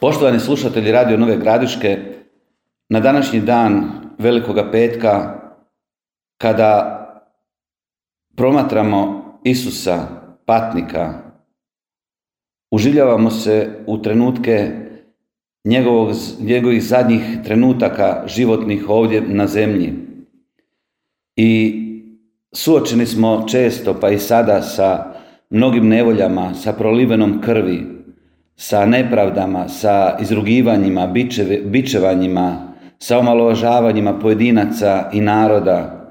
Poštovani slušatelji Radio Nove Gradiške, na današnji dan Velikoga petka, kada promatramo Isusa, patnika, uživljavamo se u trenutke njegovih zadnjih trenutaka životnih ovdje na zemlji. I suočeni smo često, pa i sada, sa mnogim nevoljama, sa prolivenom krvi, sa nepravdama, sa izrugivanjima, bičevanjima, sa omalovažavanjima pojedinaca i naroda,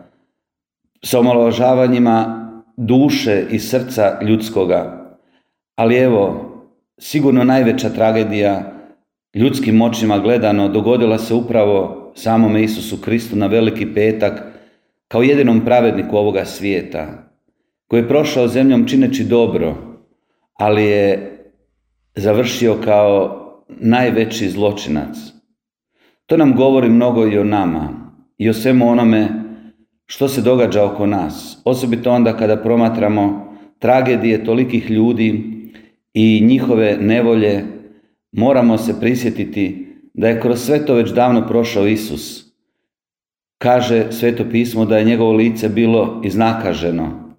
sa omalovažavanjima duše i srca ljudskoga. Ali evo, sigurno najveća tragedija ljudskim očima gledano dogodila se upravo samome Isusu Kristu na Veliki petak, kao jedinom pravedniku ovoga svijeta, koji je prošao zemljom čineći dobro, ali je završio kao najveći zločinac. To nam govori mnogo i o nama i o svemu onome što se događa oko nas, osobito onda kada promatramo tragedije tolikih ljudi i njihove nevolje. Moramo se prisjetiti da je kroz sve to već davno prošao Isus. Kaže Sveto pismo da je njegovo lice bilo iznakaženo,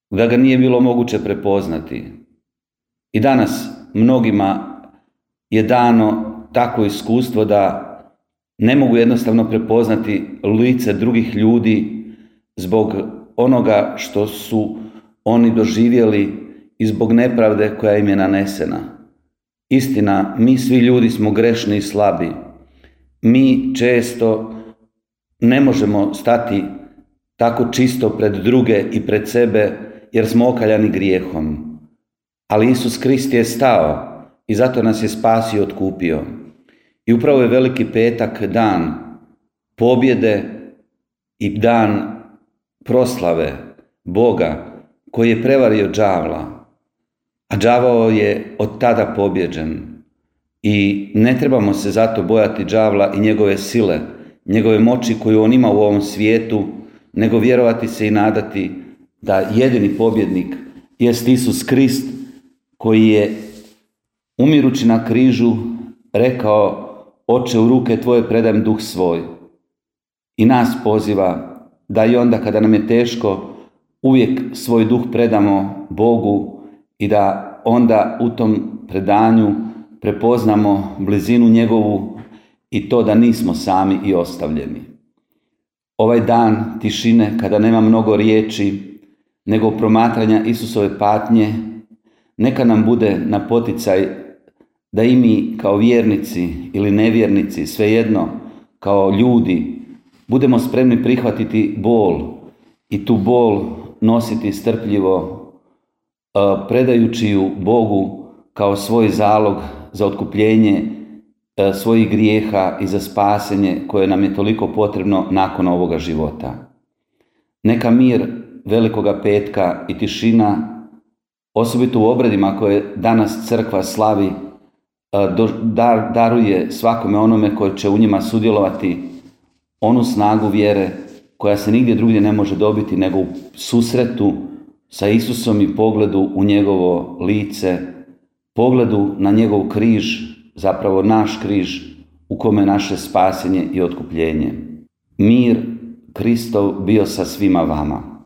da ga nije bilo moguće prepoznati. I danas mnogima je dano takvo iskustvo da ne mogu jednostavno prepoznati lice drugih ljudi zbog onoga što su oni doživjeli i zbog nepravde koja im je nanesena. Istina, mi svi ljudi smo grešni i slabi. Mi često ne možemo stati tako čisto pred druge i pred sebe jer smo okaljani grijehom. Ali Isus Krist je stao i zato nas je spasio i otkupio. I upravo je Veliki petak dan pobjede i dan proslave Boga koji je prevario đavla. A đavao je od tada pobjeđen. I ne trebamo se zato bojati đavla i njegove sile, njegove moći koju on ima u ovom svijetu, nego vjerovati se i nadati da jedini pobjednik jest Isus Krist, koji je umirući na križu rekao: Oče, u ruke tvoje predajem duh svoj. I nas poziva da i onda kada nam je teško uvijek svoj duh predamo Bogu i da onda u tom predanju prepoznamo blizinu njegovu i to da nismo sami i ostavljeni. Ovaj dan tišine, kada nema mnogo riječi nego promatranja Isusove patnje, neka nam bude na poticaj da i mi kao vjernici ili nevjernici, svejedno, kao ljudi, budemo spremni prihvatiti bol i tu bol nositi strpljivo, predajući ju Bogu kao svoj zalog za otkupljenje svojih grijeha i za spasenje koje nam je toliko potrebno nakon ovoga života. Neka mir Velikoga petka i tišina, osobito u obredima koje danas crkva slavi, daruje svakome onome koji će u njima sudjelovati onu snagu vjere koja se nigdje drugdje ne može dobiti nego u susretu sa Isusom i pogledu u njegovo lice, pogledu na njegov križ, zapravo naš križ u kome je naše spasenje i otkupljenje. Mir Kristov bio sa svima vama.